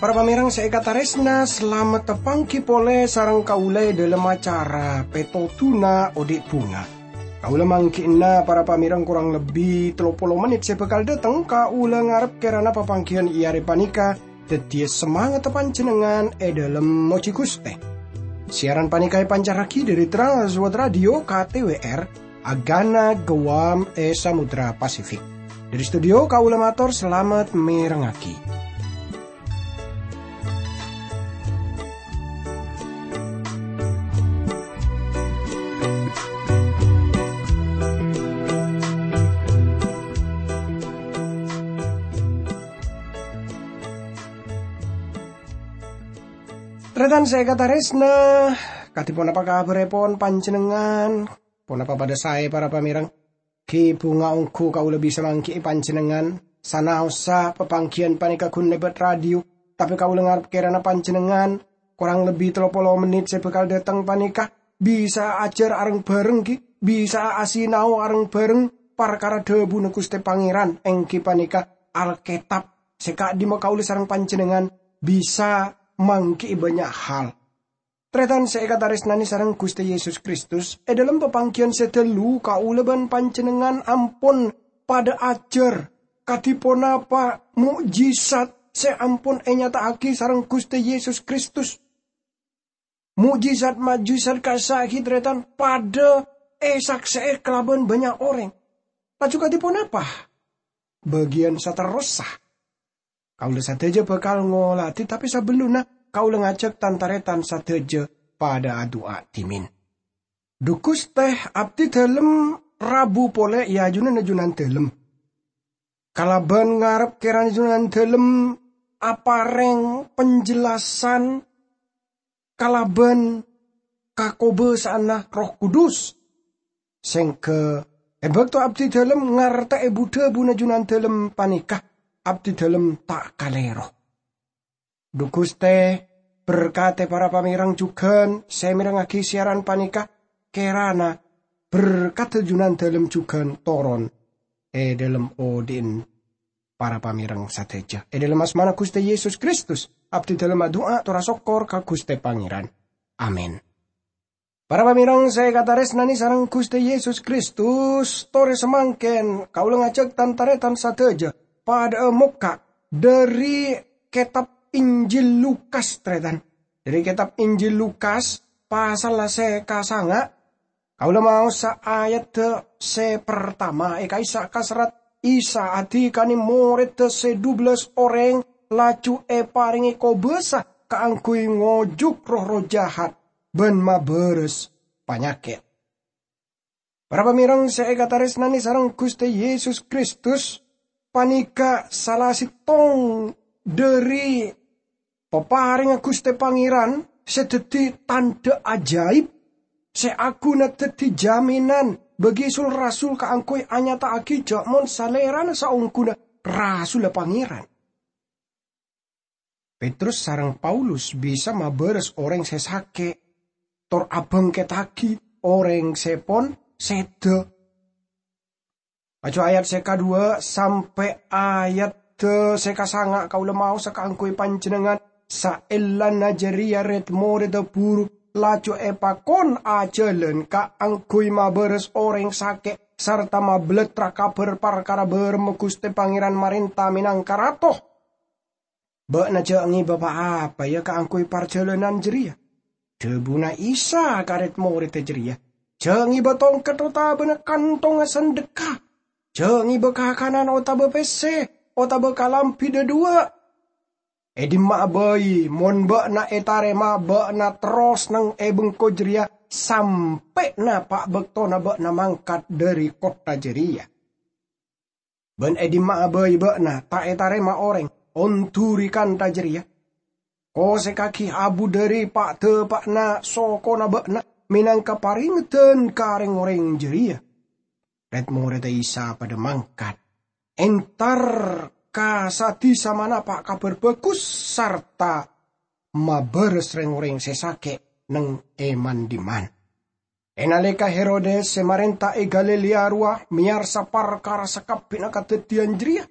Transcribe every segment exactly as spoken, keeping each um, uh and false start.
Para pamèrèng sè èkatarèsna, salamet tapangghi polè sareng kaulâ è dhâlem acara Pètodhuna Odi' Bhunga. Kaulâ mangghi'na para pamèrèng korang lebbi tello polo mennit sè bhâkal dhâteng, kaulâ ngarep kèrana papangghiyân è arè panèka dhâddhiyâ samangatta panjhennengngan è dhâlem mojhi Ghustè. Siaran panèka èpancarraghi dhâri Trans World Radio K T W R, Agana Guam è Samudra Pasifik. Dhâri studio kaulâ mator salamet mèrengngaghi. Tarètan sè èkatarèsna, kadhi ponapa kabhârèpon panjhennengngan? Ponapa padâ saè, para pamèrèng? Ghi bhunga ongghu kaulâ bisa mangghi'i panjhennengngan, sanaossa papangghiyân panèka ghun lèbât radio, tapè kaulâ ngarep kèrana panjhennengngan, korang lebbi tello polo mennit sè bhâkal dhâteng panèka, bisa ajhâr areng-bhâreng, ghi, bisa asinao areng-bhâreng parkara dhâbuna Ghustè Pangèran, èngghi panèka Alkètab, sè ka'dimma kaulâ sareng panjhennengngan bisa mangghi'i bânnya' hal. Tarètan sè èkatarèsnanè sareng Ghustè Yesus Kristus, è dhâlem papangghiyân sè ghâllu kaulâ bân panjhennengngan ampon padâ ajhâr kadhi ponapa mo'jizat sè ampon ènyata'aghi sareng Ghustè Yesus Kristus. Mo'jizat-mo'jizat ka'issa' ghi, tarètan, padâ èsaksè'è kalabân bânnya' orèng. Laju kadhi ponapa bâgiyân saterrossa? Kaulâ sadhâjâ bhâkal ngolatè, tapè sabellunna kaulâ ngajhâk tan-tarètan sadhâjâ padâ adu'a dhimèn. Dhu Ghustè, abdhi dhâlem rabu polè è ajunanna Junandhâlem. Kalabân ngarep kèrana Junandhâlem aparèng penjelasan kalabân kakobâsa'anna Erroh Kudus, sèngghâ è bâkto abdhi dhâlem ngartè'è bu-dhâbuna Junandhâlem panèka, abdhi dhâlem ta' kalèro. Dhu Ghustè, berkatè para pamèrèng jhughân sè mèrengngaghi siaran panèka, kèrana berkadda Junandhâlem jhughân toron è dhâlem odi'na para pamèrèng sadhâjâ. È dhâlem asmana Ghustè Yesus Kristus, abdhi dhâlem adu'a tor asokkor ka Ghustè Pangèran. Amin. Para pamèrèng sè èkatarèsnanè sareng Ghustè Yesus Kristus, torè samangkèn kaulâ ngajhâk tan-tarètan sadhâjâ padâ'â mokka' dhâri kètab Injil Lukas, tarètan. Dhâri kètab Injil Lukas, pasalla sè kasanga', kaulâ maosa ayadda sè partama è ka'issa' kaserrat Isa adhikana morèdda sè dubellâs orèng, laju èparèngè kobâsa kaangghuy ngojuk roh-erroh jahat bân mabârâs panyakèt. Para pamèrèng sè èkatarèsnanè sareng Ghustè Yesus Kristus, panèka sala sèttong dhâri paparèngnga Ghustè Pangèran sè dhâddhi tandhâ ajaib, sè aghuna dhâddhi jaminan bagi sul-rasul kaangghuy anyata'aghi jhâ' mon salèrana saongghuna rasulla Pangèran. Petrus sareng Paulus bisa mabârâs orèng sè sakè', tor abhângkèttaghi orèng sè pon sèdhâ. Laju ayat sè kadhuwâ' sampè' ayat sè kasanga' kaulâ maosa kaangghuy panjhennengngan. Saellana jârèya rèd-morèdda buru laju èpakon ajhâlân kaangghuy mabârâs orèng sakè' sarta mabelletra kabhâr parkara bârâmma Ghustè Pangèran marènta mènangka Rato. "Bâ'na jhâ' ngèbâ pa-apa, yâ, kaangghuy parjhâlânan jârèya," dhâbuna Isa ka rèd-morèdda jârèya. "Jhâ' ngèbâ tongket otabâna kantongnga sandhekka. Jhâ' ngèbâ kakanan otabâ pèssè otabâ kalambhi dhâduwâ'. È dimma'a bhâi, mon bâ'na ètarèma, bâ'na terros neng è bengko jârèya sampè' napa' bâktona bâ'na mangkat dhâri kottha jârèya. Bân è dimma'a bhâi bâ'na ta' ètarèma orèng, ondhuri kantha jârèya. Kosèkaghi abu dhâri pa'-dhâpa'na sokona bâ'na mènangka parèngeddhân ka rèng-orèng jârèya." Rèd-morèdda Isa padâ mangkat, entar ka sa-dhisa manapa' Kabhâr Bhâghus sarta mabârâs rèng-orèng sè sakè' neng è man-dhimman. È nalèka Herodes sè marènta è Galilea rowa mèyarsa parkara sakabbhiyânna kadhâddhiyân jârèya,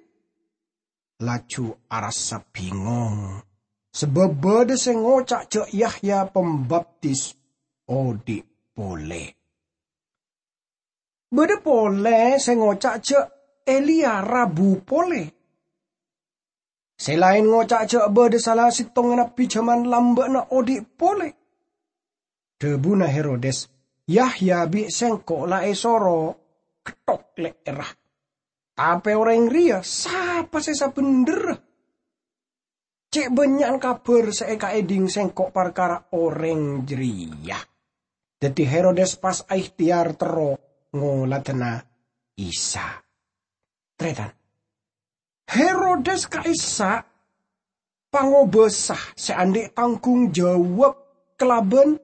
laju arassa bingong, sabâb bâdâ sè ngoca' jâ' Yahya Pambaptis odi' polè. Bâdâ polè sè ngoca' jâ' Eliya rabu polè. Sè laèn ngoca' jâ' bâdâ sala sèttongnga nabbhi jhâman lambâ'na odi' polè. Dhâbuna Herodes, "Yahya bi' sèngko' la èsoro ketthok lè'èrra. Tapè orèng rèya sapa sè sabhendherra? Cè' bânnya'an kabhâr sè èkaèdhing sèngko' parkara orèng jârèya." Dhâddhi Herodes pas aèhtèyar terro ngoladhâna Isa. Tarètan, Herodes ka'issa' pangobâsa sè andi' tanggung jawab kalabân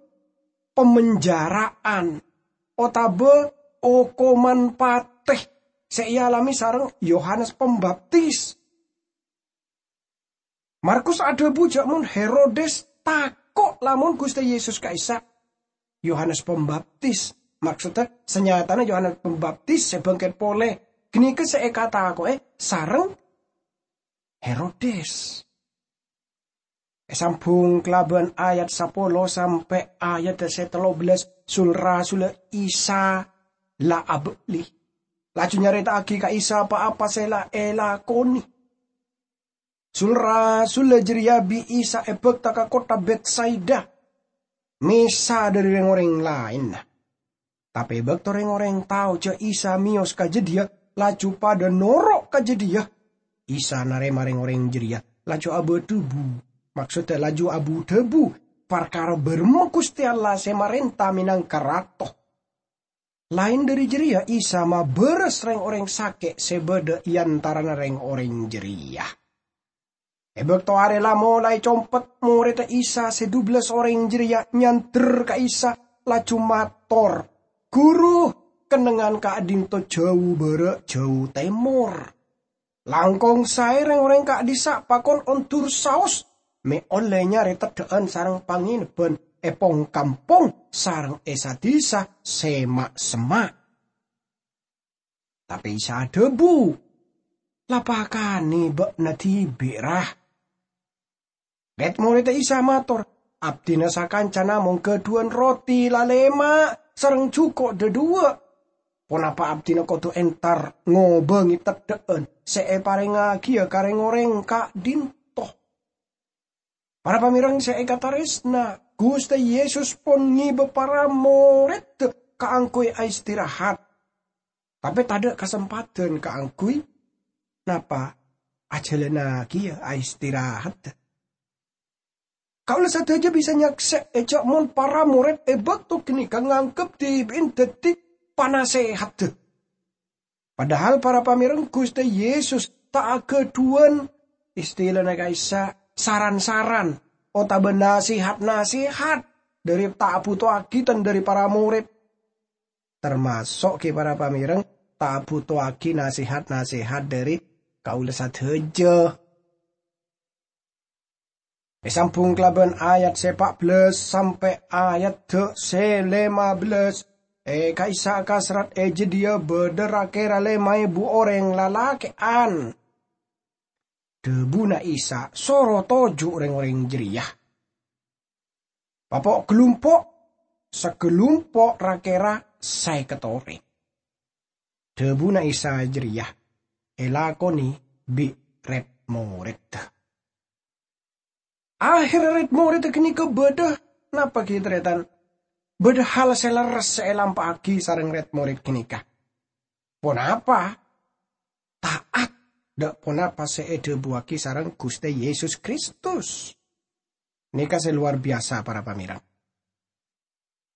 pamenjara'an otabâ okoman patè sè èalamè sareng Yohanes Pambaptis. Markus adhâbu jâ' mon Herodes tako' lamon Ghustè Yesus ka'issa' Yohanes Pambaptis. Maksodda, sanyatana Yohanes Pambaptis sè bângkèt polè ghânèka sè èkatako'è sareng Herodes. Èsambhung kalabân ayat sapolo sampè' ayat sè tello bellâs, sul-rasulla Isa la abâli, laju nyarèta'aghi ka Isa pa-apa sè la èlakonè. Sul-rasulla jârèya bi' Isa èbhâkta ka kottha Betsaida, mèsa dhâri rèng-orèng laènna. Tapè bâkto rèng-orèng tao jâ' Isa mèyos ka jâdiyâ, laju padâ noro' ka jâdiyâ. Isa narèma rèng-orèng jârèya, laju abâdhâbu, maksodda laju abu-dhâbu, parkara bârâmma Ghustè Allah sè marènta mènangka Rato. Laèn dhâri jârèya, Isa mabârâs rèng-orèng sakè' sè bâdâ è antarana rèng-orèng jârèya. È bâkto arè la molaè compet, morèdda Isa sè dubellâs orèng jârèya nyandher ka Isa, laju mator, "Ghuru, kennengngan ka'dinto jâu bârâ' jâu tèmor. Langkong saè rèng-orèng ka'dissa' pakon ondur saos, mè' ollè nyarè teddhâ'ân sareng pangènebbhân è pong-kampong sareng è sa-disa sè ma'-semma'." Tapè Isa adhâbu, "La pakanè bâ'na dhibi', ra?" Rèd-morèdda Isa mator, "Abdhina sakanca namong ghâdhuwân roti lalèma' sareng jhuko' dhâdhuwâ'. Ponapa abdhina kodhu entar ngobângè teddhâ'ân sè èparèngaghiyâ ka rèng-orèng ka'dinto?" Para pamèrèng sè èkatarèsna, Ghustè Yesus pon ngibâ para morèdda kaangghuy aistirahat. Tapè tadâ' kasempadhân kaangghuy napa ajhâlânnaghi aistirahaddhâ. Kaulâ sadhâjâ bisa nyaksè'è jâ' mon para morèd è bâkto ghânèka nganggep dhibi'na dhâddhi panasèhaddhâ. Padahal para pamèrèng Ghustè Yesus ta' aghâdhuwân, istilana ka'issa', saran-saran otabâ nasèhat-nasèhat dhâri, ta' abhutowaghi tang dhâri para morèd. Tamaso' ghi' para pamèrèng ta' abhutowaghi nasèhat-nasèhat dhâri kaulâ sadhâjâ. Èsambhung kalabân ayat sè pa' bellâs sampè' ayat sè lèma bellâs. È ka'issa' kaserrat è jâdiyâ bâdâ ra-kèra lèma èbu orèng lalakè'an. Dhâbuna Isa, "Soro toju' rèng-orèng jârèya." Papo' galumpo', sagalumpo' ra-kèra sèket orèng. Dhâbuna Isa jârèya èlakonè bi' rèd-morèdda. Aherra rèd-morèdda ghânèka bâdâ napa ghi, tarètan? Bâdâ hal sè lerres sè èlampa'aghi sareng rèd-morèd ghânèka. Ponapa? Ta'at dâ' ponapa sè èdhâbuwaghi sareng Ghustè Yesus Kristus. Nèka sè lowar biyasa, para pamèrèng.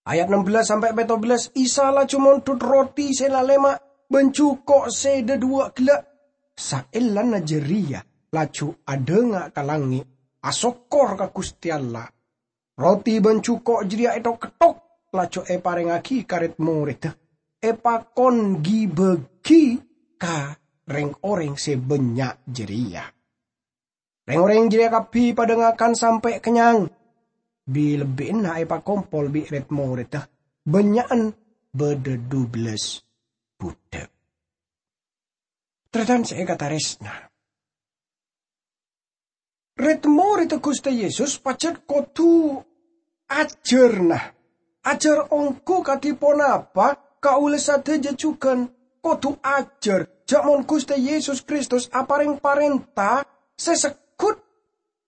Ayat nem bellâs sampè' pèttong bellâs, Isa laju mondhut roti sè lalèma' bân jhuko' sè dhâdhuwâ' ghellâ'. Saellana jârèya laju adhânga' ka langngè', asokkor ka Ghustè Allah. Roti bân jhuko' jârèya èthok-ketthok, laju èparèngaghi ka rèd-morèdda, èpakon ghi-bâghi ka rèng-orèng sè bânnya' jârèya. Reng-oreng jareya kabbi padha ngakan sampe' kennyang. Bi-, lebbi'na epakompol bi' red-moredda, bannya'an badha dubellâs budhâk. Tarètan sè èkataresna, red-moredda Ghustè Yesus pajhât kodhu ajhâr, nah. Ajhâr ongghu kadhi ponapa, kaulâ sadhâjâ jhughân kodhu ajhâr jhâ' mon Ghustè Yesus Kristus aparèng parènta sè segghut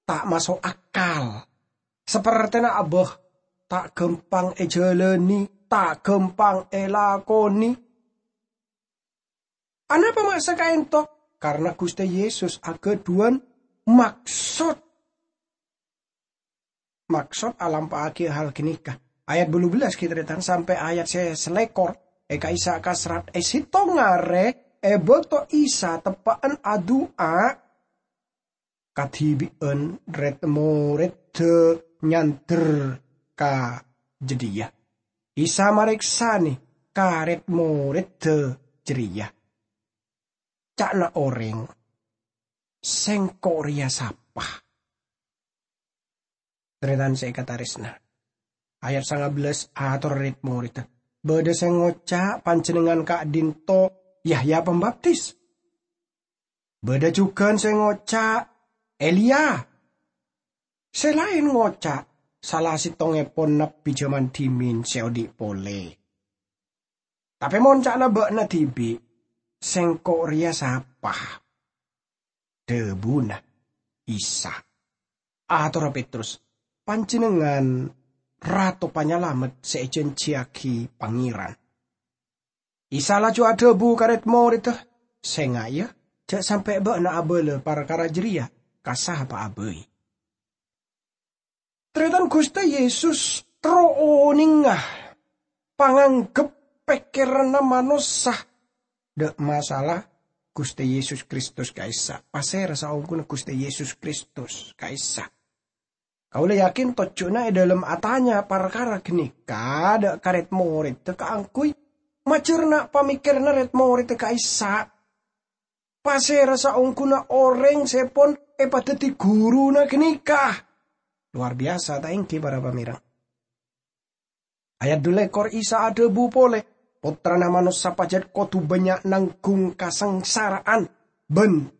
ta' maso' akal. Sapertèna abâ, ta' ghâmpang èjhâlâni, ta' ghâmpang èlakonè. Anapa ma' sè kaènto? Karna Ghustè Yesus aghâdhuwân maksod. Maksod alampa'aghi hal ghânèka. Ayat bâllu bellâs ghi' tarètan sampè' ayat sè salèkor. È ka'issa' kasrat è sèttong arè, è bâkto Isa teppa'an adu'a, kadhibi'ân red-moredda nyandher ka jâdiyâ. Isa marèksanè ka red-moredda jârèya. Ca'na orèng, "Sèngko' rèya sapa?" Tarètan sè èkatarèsna. Ayat sanga bellâs, ator red-moredda, "Bâdâ sè ngoca' panjhennengngan ka'dinto Yahya Pambaptis. Bâdâ jhughân sè ngoca' Eliya. Sè laèn ngoca' sala sèttongngèpon nabbhi jhâman dhimèn sè odi' polè. Tapè mon ca'na bâ'na dhibi', 'Sèngko' rèya sapa?' dhâbuna Isa." Atorra Petrus, "Panjhennengngan Rato Panyalamet sè èjhânjhiyaghi Pangèran." Isa laju adhâbu ka red-moredda, "Sènga', yâ, jhâ' sampè' bâ'na abâlâ parkara jârèya ka sapa'a bhâi." Tarètan Ghustè Yesus terro onènga pangangghep pèkkèranna manossa. Dâ' masalah Ghustè Yesus Kristus ka'issa'. Pasèra saongghuna Ghustè Yesus Kristus ka'issa'? Kaulâ yakin tojjhuna è dâlem atanya parkara ghânèka dâ' ka red-moredda kaangghuy majârna pamèkkèranna red-moredda ka'issa'. Pasèra saongghuna orèng sè pon èpadhâddhi ghuruna ghânèka? Lowar biyasa, ta' èngghi, para pamèreng? Ayat dhu lèkor, Isa adhâbu polè, "Pottrana Manossa pajhât kodhu bânnya' nangghung kasangsara'an bân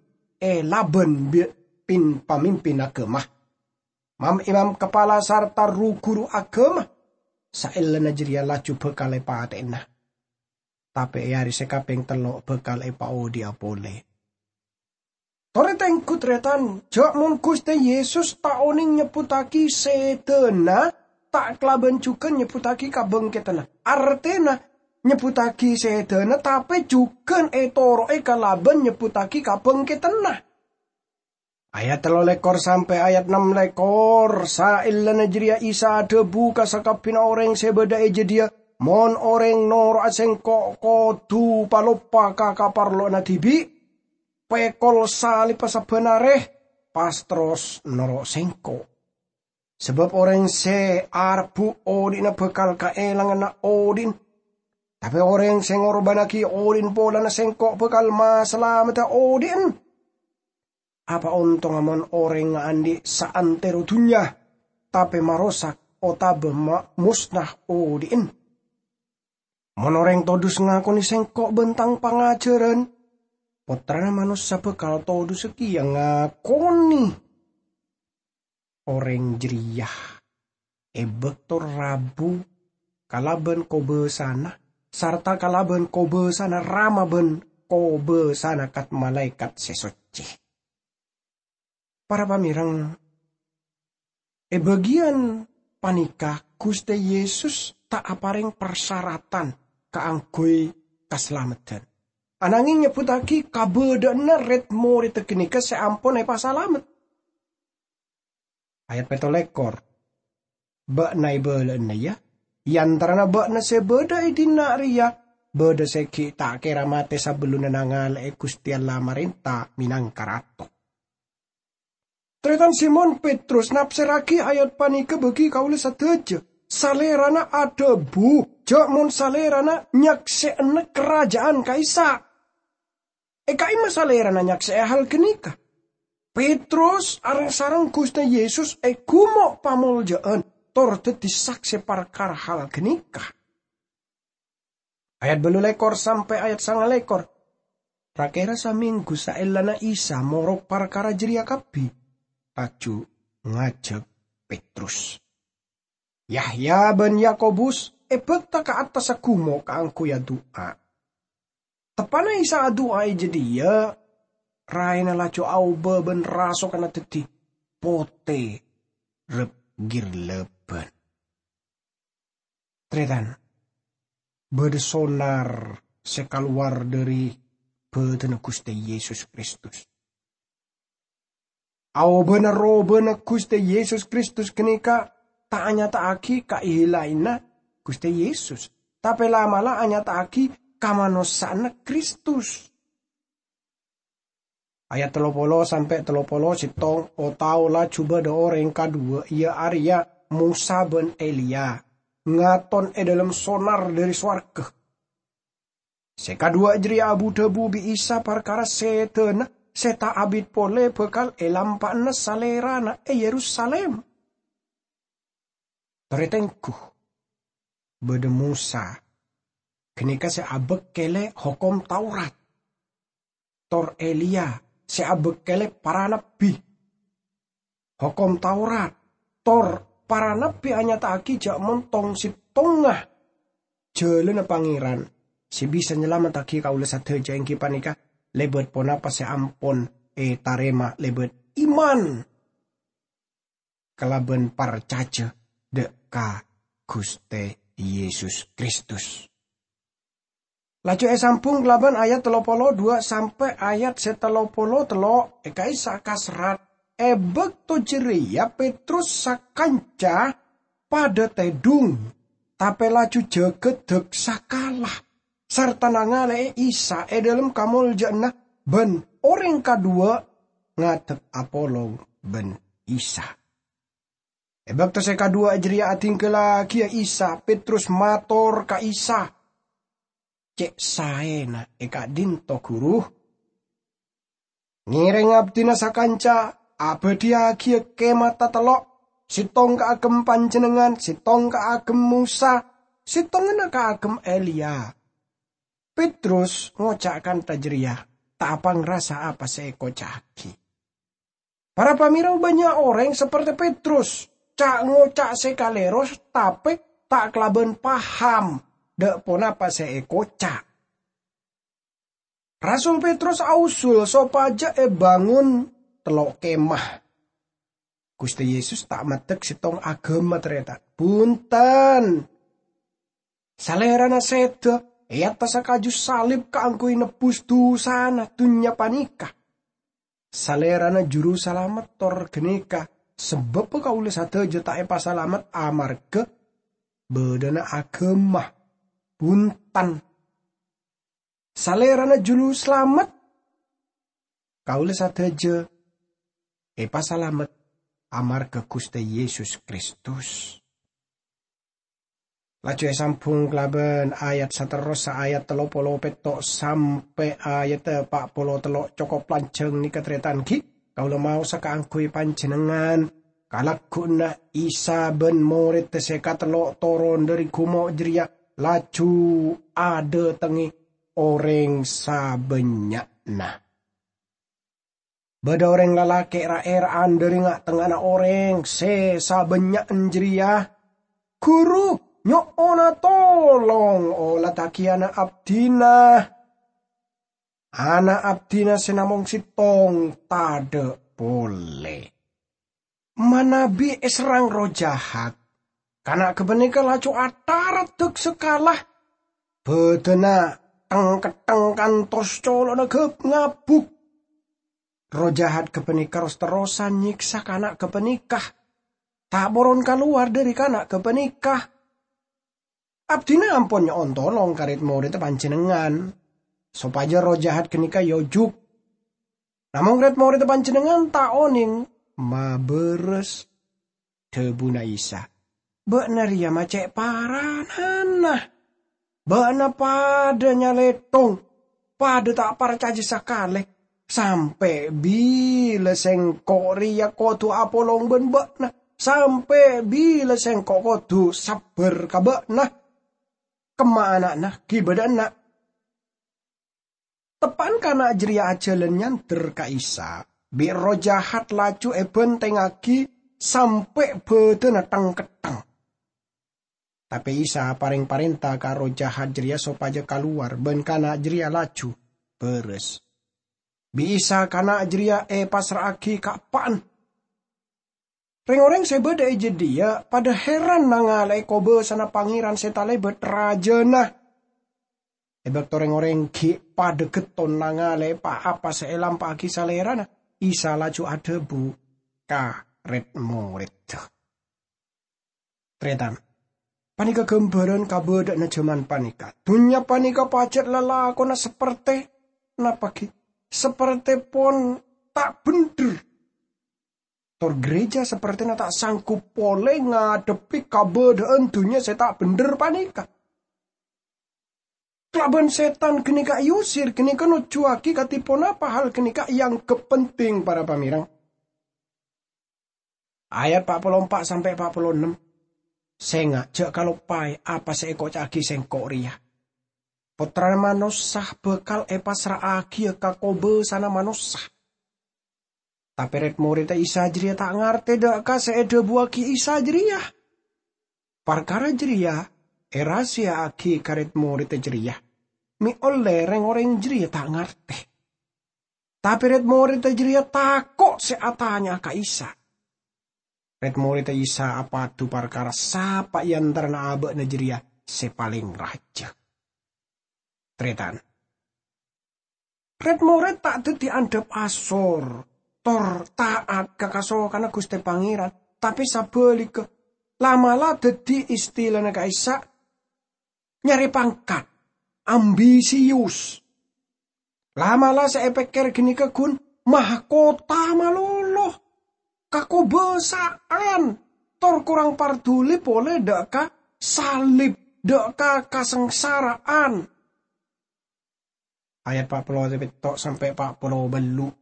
èlabân bi' pin-pamimpin aghâma, mam-imam kapala sarta ru-ghuru aghâma. Saellana jârèya laju bhâkal èpatè'ana. Tapè è arè sè kapèng tello' bhâkal èpaodi'â polè." Torè tengghu, tarètan, jhâ' mon Ghustè Yesus ta' onèng nyebbhuttaghi sèdhâna, ta' kalabân jhughân nyebbhuttaghi kabhângkèdhânna. Artèna, nyebbhuttaghi sèdhâna, tapè jhughân ètoro'è kalabân nyebbhuttaghi kabhângkèdhânna. Ayat tello lèkor sampè' ayat nem lèkor, saellana jârèya Isa adhâbu ka sakabbhiyânna orèng sè bâdâ è jâdiyâ, "Mon orèng noro'a Sèngko', kodhu paloppa ka kaparlowanna dhibi', pèkol salibbhâ sabbhân arè, pas terros noro' Sèngko'. Sabâb orèng sè arebbhu' odi'na bhâkal kaèlanganna odi'na. Tapè orèng sè ngorbhânnaghi odi'na polana Sèngko' bhâkal masalamedhâ odi'na. Apa ontongnga mon orèng andi' saantèro dhunnya, tapè marosak otabâ ma-, mosna odi'na? Mon orèng todus ngakonè Sèngko' bân Tang pangajhârân, Pottrana Manossa bhâkal todusâ kèya ngakonè orèng jârèya è bâkto rabu kalabân kobâsana, sarta kalabân kobâsana Rama bân kobâsana kat-malaèkat sè soccè." Para pamèreng, è bâgiyân panèka Ghustè Yesus ta' aparèng parsaratan kaangghuy kasalameddhân, ananghing nyebbhuttaghi kabâdâ'ânna red-morèdda ghânèka sè ampon èpasalamet. Ayat pètto lèkor, "Bâ'na èbâlâ'âna, yâ? È antarana bâ'na sè bâdâ è dinna' rèya, bâdâ sè ghi' ta' kèra matè sabellunna nangala'è Ghustè Allah marènta mènangka Rato." Tarètan, Simon Petrus napsèrraghi ayat panèka bâgi kaulâ sadhâjâ. Salèrana adhâbu, jhâ' mon Salèrana nyaksè'ana karaja'an ka'issa'. È ka'imma Salèrana nyaksè'è hal ghânèka? Petrus areng-sareng Guste Yesus è gumo' pamolja'an, tor daddi sakse parkara hal ganeka. Ayat ballu lekor sampe' ayat sanga lekor. Ra-kera samenggu saellana Isa morok parkara jareya kabbi, laju ngajak Petrus. Yahya ban Yakobus ebakta ka attassa gumo' kaangguy adu'a. Teppa'na Isa adu'a e jadhiya, raena laju aoba ban rasoganna daddi pote rep-girleban. Taretan, badha sonar se kalowar dhari badanna Guste Yesus Kristus. Aobana robana Guste Yesus Kristus ganeka ta' anyata'agi kaehela'anna Guste Yesus, tape la'-mala' anyata'agi kamanossa'anna Kristus. Ayat tello polo sampe' tello polo settong, o-tao laju badha oreng kadhuwa, iya areya Mosa ban Eliya, ngaton e dhalem sonar dhari sowarga. Se kadhuwa jareya abu-dhabu bi' Isa parkara sedana se ta' abit pole bakal elampa'ana Salerana e Yerusalim. Taretenggu, badha Mosa, ganeka se abekkele Hokom Taurat, tor Eliya se abekkele para nabbi. Hokom Taurat tor para nabbi anyata'agi ja' montong settonga jalanna Pangeran se bisa nyalamettagi kaula sadaja, enggi paneka lebat ponapa se ampon etarema lebat iman kalaban parcaja dha' ka Guste Yesus Kristus. Laju esambung kalaban ayat tello polo dhuwa' sampe' ayat se tello polo tello', e ka'issa' kaserrat, e bakto jareya Petrus sakanca padha tedhung, tape laju jagadhak sakala, sarta nangale'e Isa e dhalem kamolja'anna, ban oreng kadhuwa ngadhep apolong ban Isa. E bakto se kadhuwa jareya adinggalagiya Isa, Petrus mator ka Isa, "Ce' saena e ka'dhinto, Guru? Ngereng abdina sakanca, abadhiyagiya kemah tatello', settong kaagem Panjennengngan, settong kaagem Mosa, settonganna kaagem Eliya." Petrus ngoca' kantha jareya, ta' apangrasa apa se ekoca'agi. Para pamira, bannya' oreng saperte Petrus, ca'-ngoca' se kalero, tape ta' kalaban paham dha' ponapa se ekoca'. Rasul Petrus ausul sopaja ebangon tello' kemah. Guste Yesus ta' maddek settong agama, tareta. Bunten! Salerana seda e attassa kaju salib kaangguy nebbus dusana dunnya paneka. Salerana Juru Salamet tor ganeka sababba kaula sadaja ta' epasalamet amarga badhana agama. Bunten! Salerana Juru Salamet, kaula sadaja epasalamet amarga Guste Yesus Kristus. Laju esambung kalaban ayat saterrossa, ayat tello polo petto' sampe' ayat pa' polo tello'. Cokop lanjang neka, taretan, ghi. Kaula maosa kaangguy panjennengngan, kalagguna Isa ban moredda se katello' toron dhari gumo' jareya, laju adhatengnge oreng sabannya'na. Badha oreng lalake' ra'-era'an dhari nga'-tengnga'anna oreng se sabannya'an jareya, "Guru, nyo'ona tolong olatagi ana' abdina. Ana' abdina se namong settong tadha' pole. Manabi eserrang erroh jahat, kana' gapaneka laju ataraddhak sakala, badhana teng-kettheng kantos colo'na gab-ngabuk. Erroh jahat gapaneka ros-terrosan nyeksa kana' gapaneka, ta' poron kalowar dhari kana' gapaneka. Abdina ampon nyo'on tolong ka red-moredda Panjennengngan, sopaja erroh jahat ganeka eojuk. Namong red-moredda Panjennengngan ta' oneng mabaras." Dhabuna Isa, "Ba'na reya ma' ce' paranana. Ba'na padha nyalethong, padha ta' parcaja sakale. Sampè' bilâ sèngko' rèya kodhu apolong bân bâ'na? Sampè' bilâ sèngko' kodhu sabbhâr ka bâ'na? Kemma ana'na ghi' bâdâ enna'." Teppa'an kana' jareya ajhâlân nyandher ka Isa, bi' erroh jahat laju èbhântèngngaghi sampè' bâdâna thèng-ketthèng. Tapè Isa aparèng parènta ka erroh jahat jareya sopajâ kalowar, bân kana' jareya laju bârâs. Bi' Isa kana' jareya èpassra'aghi ka eppa'na. Rèng-orèng sè bâdâ è jâdiyâ padâ hèran nangalè'è kobâsana Pangèran sè talèbât rajâna. È bâkto rèng-orèng ghi' padâ ghetton nangalè'è pa-apa sè èlampa'aghi Salèrana, Isa laju adhâbu ka rèd-morèdda. Tarètan, panèka ghâmbhârân kabâdâ'ânna jhâman panèka. Dhunnya panèka pajhât lalakonna sapertè, napa ghi? Sapertè pon ta' bhendher. Tor ghârèjâ sapertèna ta' sanggup polè ngadhebbhi kabâdâ'ân dhunnya sè ta' bhendher panèka. Kalabân sètan ghânèka èusir, ghânèka nojjhuwâghi kadhi ponapa hal ghânèka èangghep penting, para pamèreng. Ayat pa' polo empa' sampè' pa' polo ennem. Sènga' jhâ' kaloppaè apa sè èkoca'aghi sèngko' rèya. Pottrana Manossa bhâkal èpassra'aghiyâ ka kobâsana manossa. Tapè rèd-morèdda Isa jârèya ta' ngartè dâ' ka sè èdhâbuwâghi Isa jârèya. Parkara jârèya èrahasiya'aghi ka rèd-morèdda jârèya, mè' ollè rèng-orèng jârèya ta' ngartè. Tapè rèd-morèdda jârèya tako' sè atanya'a ka Isa. Rèd-morèdda Isa apadu parkara sapa è antarana abâ'na jârèya sè palèng rajâ. Tarètan. Rèd-morèd ta' dhâddhi andhâp asor, tor ta'at ka kasokanna Ghustè Pangèran, tapè sabhâligghâ, la'-mala' dhâddhi istilana ka'issa' nyarè pangkat, ambisius. La'-mala' sè èpèkkèr ghânèka ghun mahkota malolo, kakobâsa'an, tor korang parduli polè dâ' ka salib, dâ' ka kasangsara'an. Ayat pa' polo pètto' sampè' pa' polo bâllu'.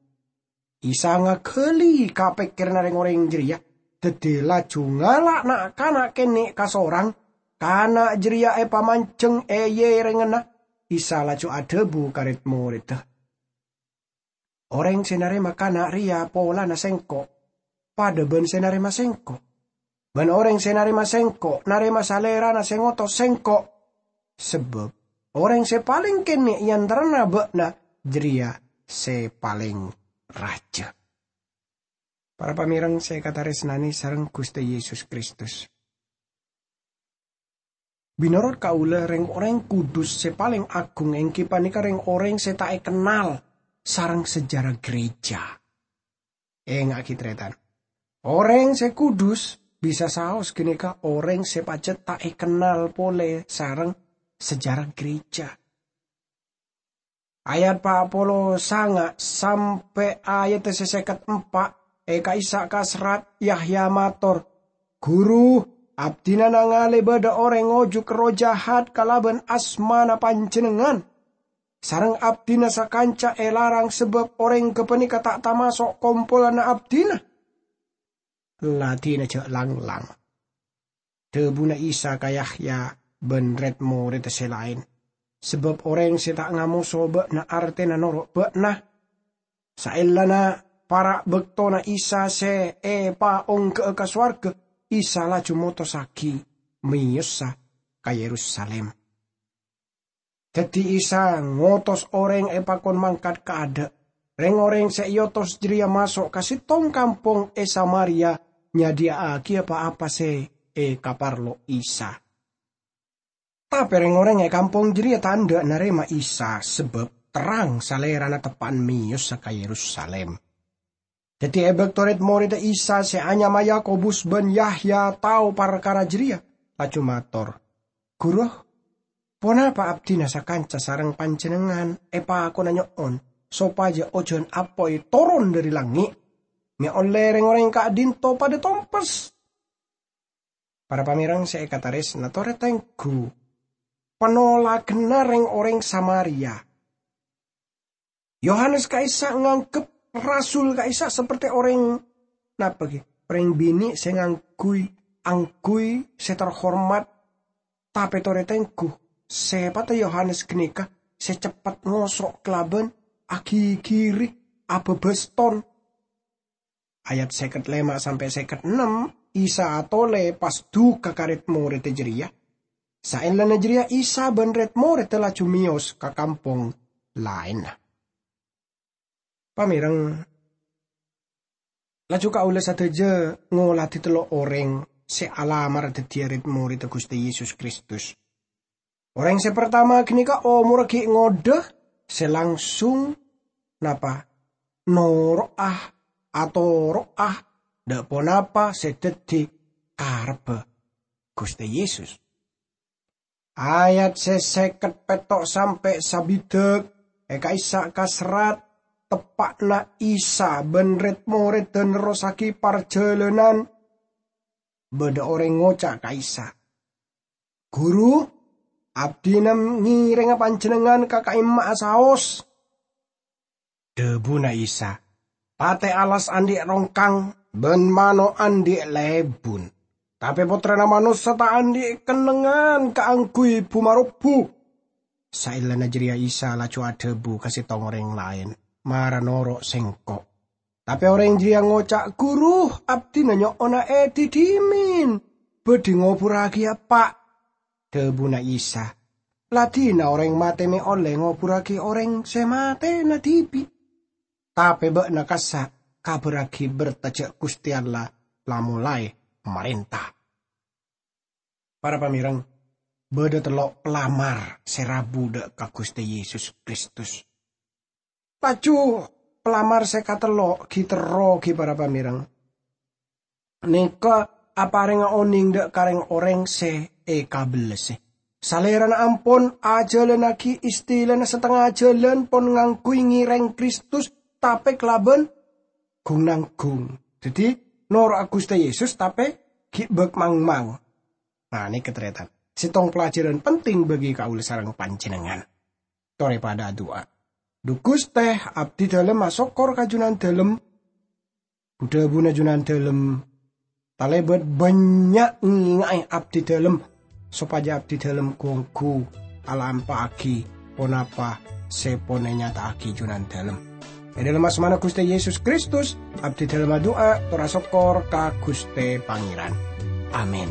Isa ngaghâli kapèkkèranna rèng-orèng jârèya, dhâddhi laju ngala' na'-kana' kènè' kasorang. Kana' jârèya èpamanjheng è yèrèngnganna. Isa laju adhâbu ka rèd-morèdda, "Orèng sè narèma kana' rèya polana Sèngko', padâ bân sè narèma Sèngko'. Bân orèng sè narèma Sèngko', narèma Salèrana sè ngotos Sèngko'. Sabâb orèng sè palèng kènè' è antarana bâ'na jârèya sè palèng rajâ." Para pamèreng sè èkatarèsnanè sareng Ghustè Yesus Kristus. Mènorot kaulâ, rèng-orèng kudus sè palèng agung èngghi panèka rèng-orèng sè ta' èkennal sareng sejarah gereja. Ènga'aghi, tarètan. Orèng sè kudus bisa saos ghânèka orèng sè pajhât ta' èkennal polè sareng sejarah gereja. Ayat pa' polo sanga' sampè' ayat sè sèket empa', è ka'issa' kaserrat Yahya mator, "Ghuru, abdhina nangalè bâdâ orèng ngojuk erroh jahat kalabân asmana Panjhennengngan, sareng abdhina sakanca èlarang sabâb orèng ghâpanèka ta' tamaso' kompolanna abdhina." Ladhina jhâ' lang-lang. Dhâbuna Isa ka Yahya bân rèd-morèdda sè laèn, "Sabâb orèng sè ta' ngamoso bâ'na artèna noro' bâ'na. Saellana para' bâktona Isa sè èpaongghâ'â ka sowarghâ, Isa laju motossaghi mèyossa ka Yerusalim." Dhâddhi Isa ngotos orèng èpakon mangkat kaadâ'. Rèng-orèng sè èotos jârèya maso' ka sèttong kampong è Samaria nyadhiyâ'aghiyâ pa-apa sè èkaparlo Isa. Tapè rèng-orèng è kampong jârèya ta' endâ' narèma Isa, sabâb terrang Salèrana teppa'an mèyossa ka Yerusalim. Dhâddhi è bâkto rèd-morèdda Isa sè anyama Yakobus bân Yahya tao parkara jârèya, laju mator, "Ghuru, ponapa abdhina sakanca sareng Panjhennengngan èpakona nyo'on sopajâ ojhân apoy toron dhâri langngè', mè' ollè rèng-orèng ka'dinto padâ tompes?" Para pamèreng sè èkatarèsna torè tengghu, panolaghânna rèng-orèng Samaria. Yohanes ka'issa' nganggep rasul ka'issa' saperti orèng, napa ghi? Orèng binè' sè ngangghuy, angghuy sè terhormat. Tapè torè tengghu, sèpatta Yohanes ghânèka sè ceppet ngoso' kalabân aghigiri, abâbâs ton. Ayat sèket lèma' sampè' sèket ennem, Isa atolè pas duka ka rèd-morèdda jârèya. Saellana jârèya Isa bân rèd-morèdda laju mèyos ka kampong laènna. Pamèreng, laju kaulâ sadhâjâ ngoladhi tello' orèng sè alamar dhâddhiyâ rèd-morèdda Ghustè Yesus Kristus. Orèng sè partama ghânèka omorra ghi' ngodâ, sè langsung napa? Noro'a, atoro'a dâ' ponapa sè dhâddhi karebbhâ Ghustè Yesus. Ayat sè sèket pètto' sampè' sabidhâk è ka'issa' ka serrat, teppa'na Isa bân rèd-morèdda nerrossaghi parjhâlânan. Bâdâ orèng ngoca' ka Isa, "Ghuru, abdhina ngèrènga Panjhennengngan ka ka'imma'a saos." Dhâbuna Isa, "Patè alas andi' rongkang, bân mano' andi' lèbun. Tapè Pottrana Manossa ta' andi' kennengngan kaangghuy bu-marobbu." Saellana jârèya Isa laju adhâbu ka sèttong orèng laèn, "Mara noro' Sèngko'." Tapè orèng jârèya ngoca', "Ghuru, abdhina nyo'ona èdhidhimin, bhâdhi ngoburraghi eppa'." Dhâbuna Isa, "La dina orèng matè mè' ollè ngoburraghi orèng sè matèna dhibi'. Tapè bâ'na kassa' kabhârraghi bertà jâ' Ghustè Allah la molaè marènta." Para pamèreng, bâdâ tello' pelamar sè rabu dâ' ka Ghustè Yesus Kristus. Laju pelamar sè katello' ghi' terro ghi' para pamèreng. Nèka aparènga onèng dâ' ka rèng-orèng sè èkabellâsè. Salèrana ampon ajhâlânnaghi istilana satengnga jhâlân pon ngangghuy ngèrèng Kristus, tapè kalabân gung-nanggung. Dhâddhi, noro'a Ghustè Yesus, tapè ghi' bâk-mangmang. Nah, nèka tarètan. Sèttong pelajaran penting bagi kaulâ sareng panjhennengngan. Torè padâ adu'a. Dhu Ghustè, abdhi dhâlem asokkor ka Junandhâlem. Bu-dhâbuna Junandhâlem talèbât bânnya' ngènga'è abdhi dhâlem, sopajâ abdhi dhâlem ghu-ongghu alampa'aghi ponapa sè pon ènyata'aghi Junandhâlem. È dhâlem asmana Ghustè Yesus Kristus, abdhi dhâlem adu'a tor asokkor ka Ghustè Pangèran. Amin.